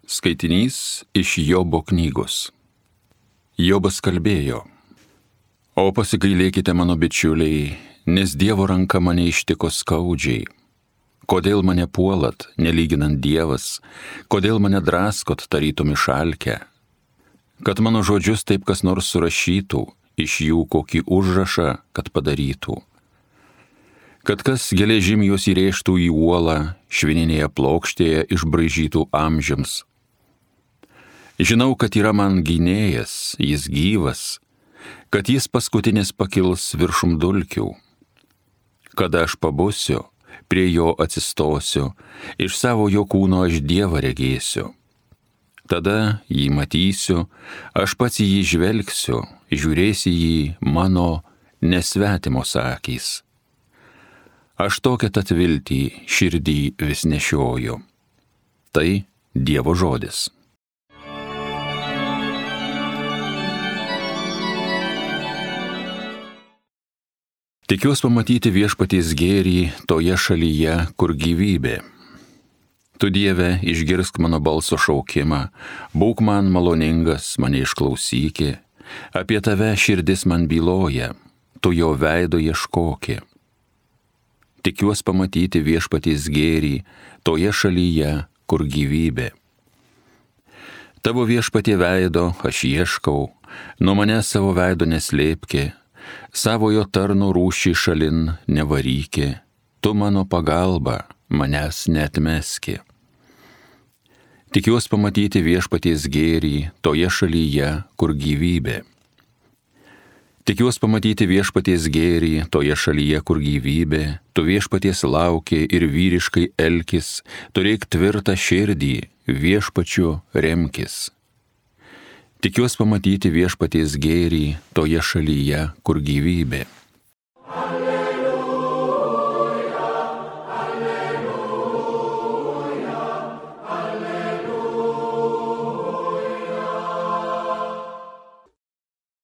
Skaitinys iš Jobo knygos. Jobas kalbėjo: O pasigailėkite mano bičiuliai, nes Dievo ranka mane ištiko skaudžiai. Kodėl mane puolat, nelyginant Dievas, kodėl mane draskot tarytum išalkę? Kad mano žodžius taip kas nors surašytų, iš jų kokį užrašą, kad padarytų. Kad kas geležim juos įrėžtų į uolą, švininėje plokštėje išbraižytų amžiams. Žinau, kad yra man gynėjas, jis gyvas, kad jis paskutinis pakils viršum dulkių. Kada aš pabusiu, prie jo atsistosiu, iš savo jo kūno aš Dievą regėsiu. Tada jį matysiu, aš pats į jį žvelgsiu, žiūrėsi jį mano nesvetimos akys. Aš tokią tad viltį širdį vis nešioju. Tai Dievo žodis. Tikiuosi pamatyti viešpaties gėrį toje šalyje, kur gyvybė. Tu, Dieve, išgirsk mano balso šaukimą, būk man maloningas, mane išklausyki, apie tave širdis man byloja, tu jo veido ieškoki. Tikiuosi pamatyti viešpaties gėrį toje šalyje, kur gyvybė. Tavo viešpatie veido aš ieškau, nuo manęs savo veido neslėpki, savojo tarno rūšį šalin nevaryki, tu mano pagalba, manęs neatmeski. Tikiuosi pamatyti viešpaties gėrį toje šalyje, kur gyvybė. Tikiuosi pamatyti viešpaties gėrį toje šalyje, kur gyvybė, tu viešpaties lauki ir vyriškai elkis, turėk tvirtą širdį, viešpačiu remkis. Tikiuosi pamatyti viešpaties gėrį toje šalyje, kur gyvybė.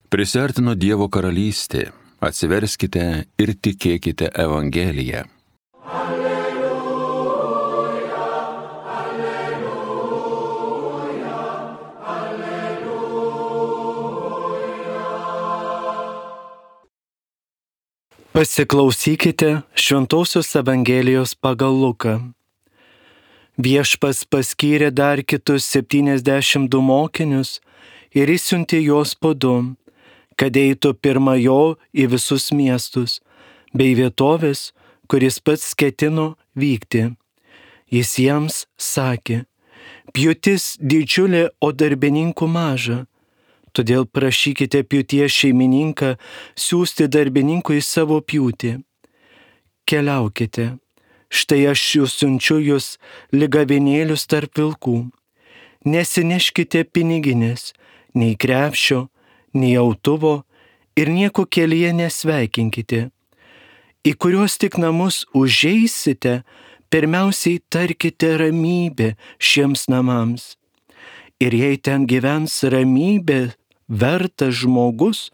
Prisiartino Dievo karalystė, atsiverskite ir tikėkite Evangeliją. Alleluja, alleluja, alleluja. Pasiklausykite Šventosios Evangelijos pagal Luką. Viešpats paskyrė dar kitus 72 mokinius ir išsiuntė juos po 2, kad eitų pirma jo į visus miestus, bei vietovės, kuris pats ketino vykti. Jis jiems sakė: pjūtis didžiulė, o darbininkų maža. Todėl prašykite pjūties šeimininką siųsti darbininkų į savo pjūtį. Keliaukite, štai aš siunčiu jūs lyg avinėlius tarp vilkų. Nesineškite piniginės, nei krepšio, nei autuvo ir nieko kelyje nesveikinkite. Į kuriuos tik namus užeisite, pirmiausiai tarkite ramybę šiems namams. Ir jei ten gyvens ramybė vertas žmogus,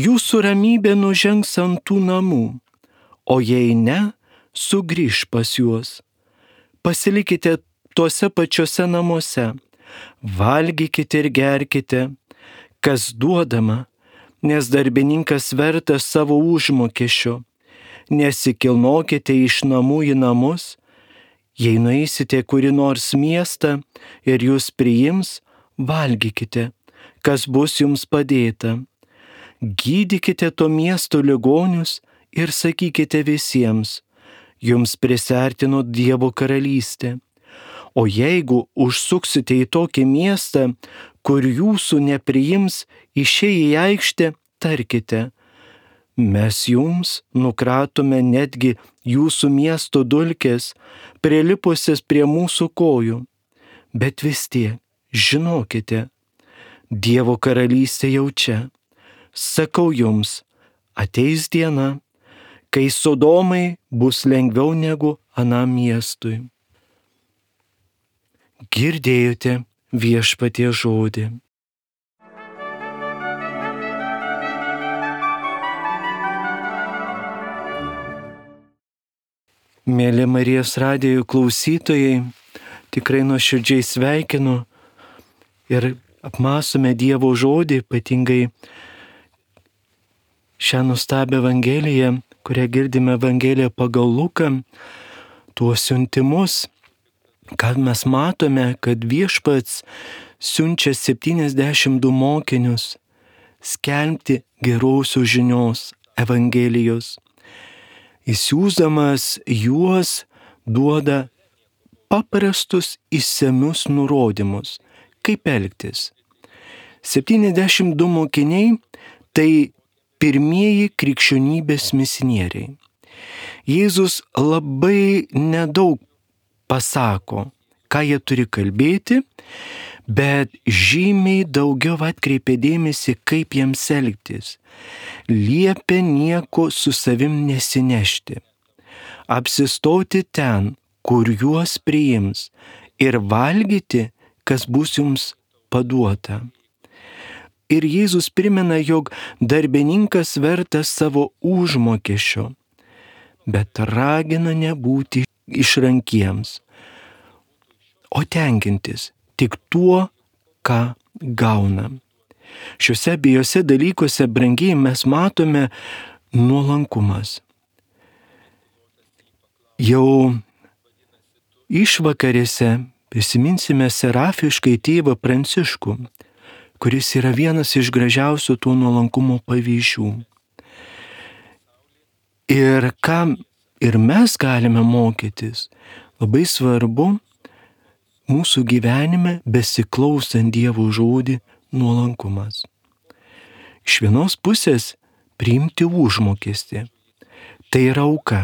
jūsų ramybė nužengs ant tų namų, o jei ne, sugrįš pas juos. Pasilikite tuose pačiuose namuose, valgykite ir gerkite, kas duodama, nes darbininkas vertas savo užmokesčio. Nesikilnokite iš namų į namus, jei nueisite kurį nors miestą ir jūs priims, valgykite, kas bus jums padėta. Gydykite to miesto ligonius ir sakykite visiems: jums prisiartino Dievo karalystė. O jeigu užsuksite į tokį miestą, kur jūsų nepriims, išėję į aikštę, tarkite: mes jums nukratome netgi jūsų miesto dulkes, prilipusias prie mūsų kojų. Bet vis tiek, žinokite, Dievo karalystė jau čia. Sakau jums, ateis diena, kai Sodomai bus lengviau negu anam miestui. Girdėjote Viešpaties žodį. Mėly Marijos radijo klausytojai, tikrai nuoširdžiai sveikinu ir apmąstome Dievo žodį, ypatingai šią nuostabią Evangeliją, kurią girdime Evangeliją pagal Luką, tuos siuntimus, kad mes matome, kad viešpats siunčia 72 mokinius skelbti gerosios žinios Evangelijos. Įsiūsdamas juos duoda paprastus įsamius nurodymus, kaip elgtis. 72 mokiniai tai pirmieji krikščionybės misionieriai. Jėzus labai nedaug pasako, ką jie turi kalbėti, bet žymiai daugiau atkreipia dėmesį, kaip jiems elgtis. Liepia nieko su savim nesinešti, apsistoti ten, kur juos priims, ir valgyti, kas bus jums paduota. Ir Jėzus primena, jog darbininkas vertas savo užmokesčio, bet ragina nebūti išrankiems, o tenkintis tik tuo, ką gauna. Šiuose abiejose dalykuose, brangiai, mes matome nuolankumas. Jau išvakarėse prisiminsime serafiškai tėvą Pranciškų, kuris yra vienas iš gražiausių tų nuolankumo pavyzdžių. Ir ką ir mes galime mokytis, labai svarbu mūsų gyvenime besiklausant Dievo žodį nuolankumas. Iš vienos pusės priimti užmokestį. Tai yra auka.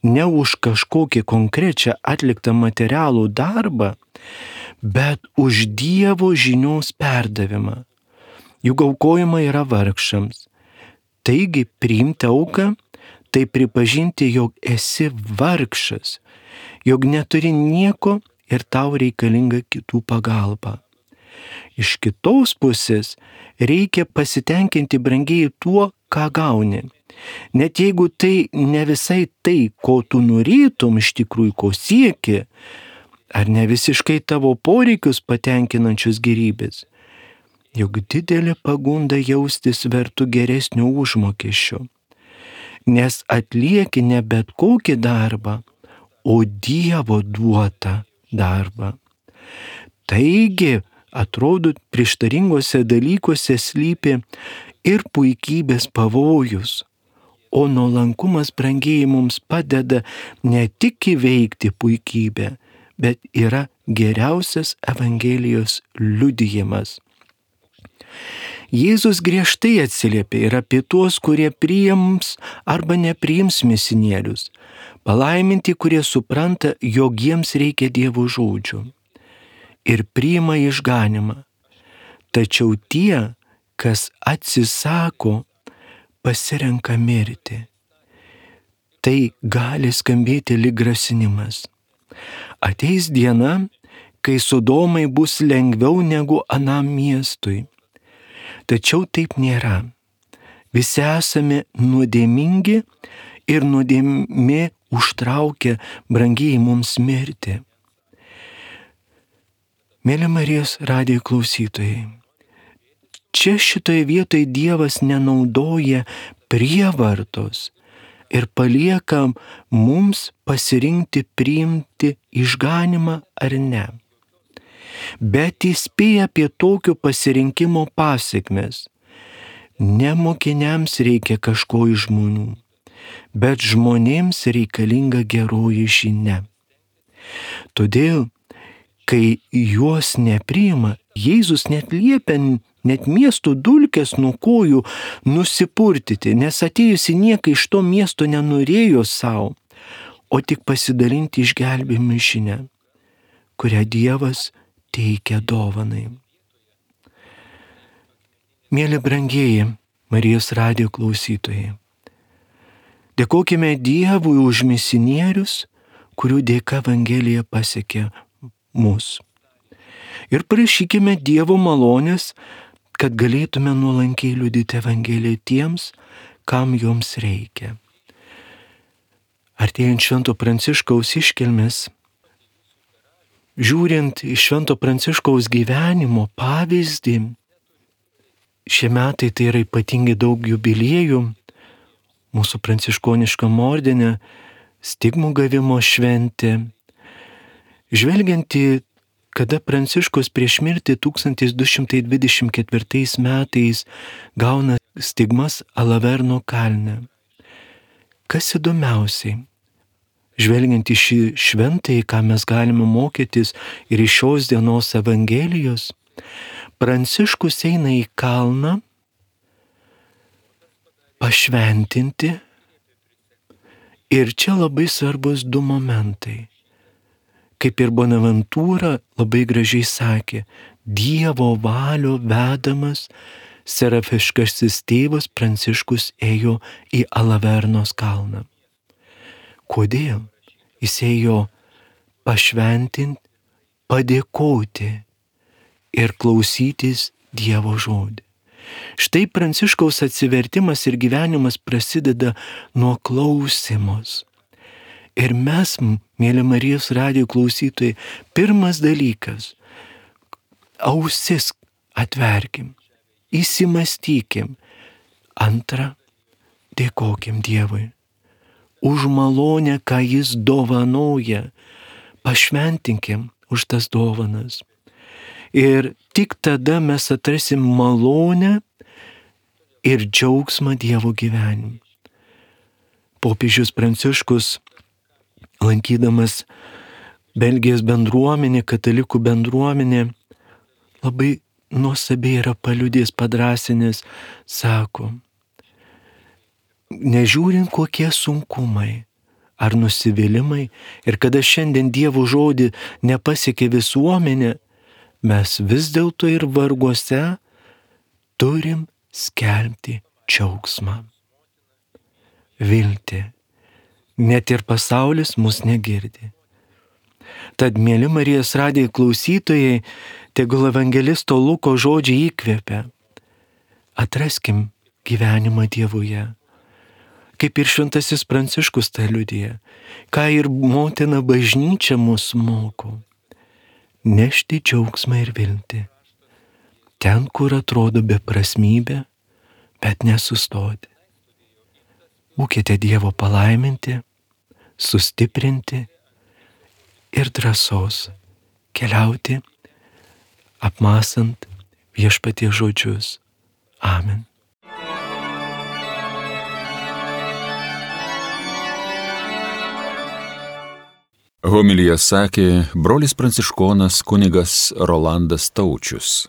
Ne už kažkokį konkrečią atliktą materialų darbą, bet už Dievo žinios perdavimą. Juk aukojama yra vargšams. Taigi priimti auką, tai pripažinti, jog esi vargšas, jog neturi nieko ir tau reikalinga kitų pagalba. Iš kitos pusės reikia pasitenkinti brangiai tuo, ką gauni. Net jeigu tai ne visai tai, ko tu norėtum iš tikrųjų, ko sieki, ar ne visiškai tavo poreikius patenkinančius gerybės, juk didelė pagunda jaustis vertu geresnio užmokesčio, nes atlieki ne bet kokį darbą, o Dievo duotą darbą. Taigi, atrodo, prieštaringose dalykuose slypi ir puikybės pavojus, o nuolankumas, brangiai, mums padeda ne tik įveikti puikybę, bet yra geriausias Evangelijos liudijimas. Jėzus griežtai atsiliepia ir apie tuos, kurie priims arba nepriims misionierius, palaiminti, kurie supranta, jog jiems reikia Dievo žodžių ir priima išganymą. Tačiau tie, kas atsisako, pasirenka mirti. Tai gali skambėti lyg grasinimas. Ateis diena, kai Sodomai bus lengviau negu anam miestui. Tačiau taip nėra. Visi esame nuodėmingi ir nuodėmė užtraukia brangiai mums mirti. Mėly Marijos radijo klausytojai, čia šitoje vietoje Dievas nenaudoja prievartos ir palieka mums pasirinkti priimti išganymą ar ne. Bet įspėja apie tokio pasirinkimo pasekmes. Ne mokiniams reikia kažko iš žmonių, bet žmonėms reikalinga geroji žinia. Todėl, kai juos nepriima, Jėzus net liepia net miesto dulkes nuo kojų nusipurtyti, nes atėjusi niekai iš to miesto nenorėjo savo, o tik pasidalinti išgelbėjimo žinią, kurią Dievas teikia dovanai. Mėly brangieji Marijos radijo klausytojai, dėkokime Dievui už misionierius, kurių dėka Evangelija pasiekė mus. Ir prašykime Dievo malonės, kad galėtume nuolankiai liudyti Evangeliją tiems, kam joms reikia. Artėjant Švento Pranciškaus iškilmės, Žiūrint į Švento Pranciškaus gyvenimo pavyzdį, šie metai tai yra ypatingai daug jubiliejų, mūsų pranciškoniškam ordine, stigmų gavimo šventė. Žvelgiant į, kada Pranciškus prieš mirtį 1224 metais gauna stigmas Alaverno kalne. Kas įdomiausiai? Žvelgiant į šį šventąjį, ką mes galime mokytis ir iš šios dienos Evangelijos, Pranciškus eina į kalną pašventinti ir čia labai svarbus du momentai. Kaip ir Bonaventūra labai gražiai sakė, Dievo valio vedamas serafiškasis tėvas Pranciškus ėjo į Alavernos kalną. Kodėl? Jis ėjo pašventinti, padėkoti ir klausytis Dievo žodį. Štai Pranciškaus atsivertimas ir gyvenimas prasideda nuo klausimos. Ir mes, mėly Marijos radijo klausytojai, pirmas dalykas – ausis atverkim, įsimastykim. Antra – dėkokim Dievui už malonę, ką Jis dovanoja, pašventinkim už tas dovanas. Ir tik tada mes atrasim malonę ir džiaugsmą Dievo gyvenimu. Popiežius Pranciškus, lankydamas Belgijos bendruomenė, katalikų bendruomenė, labai nuostabiai yra paliudęs, padrąsinęs, sako, nežiūrint kokie sunkumai ar nusivylimai ir kada šiandien Dievo žodį nepasiekė visuomenė, mes vis dėlto ir varguose turim skelbti džiaugsmą. Viltį. Net ir pasaulis mus negirdi. Tad, mėly Marijos radijo klausytojai, tegul evangelisto Luko žodžiai įkvepia. Atraskim gyvenimą Dievuje. Kaip ir šventasis Pranciškus tai liudija, ką ir motina bažnyčia mus moko. Nešti džiaugsmą ir viltį. Ten, kur atrodo beprasmybė, bet nesustoti. Būkite Dievo palaiminti, sustiprinti ir drąsos keliauti, apmąstant Viešpaties žodžius. Amen. Homiliją sakė brolis pranciškonas kunigas Rolandas Taučius.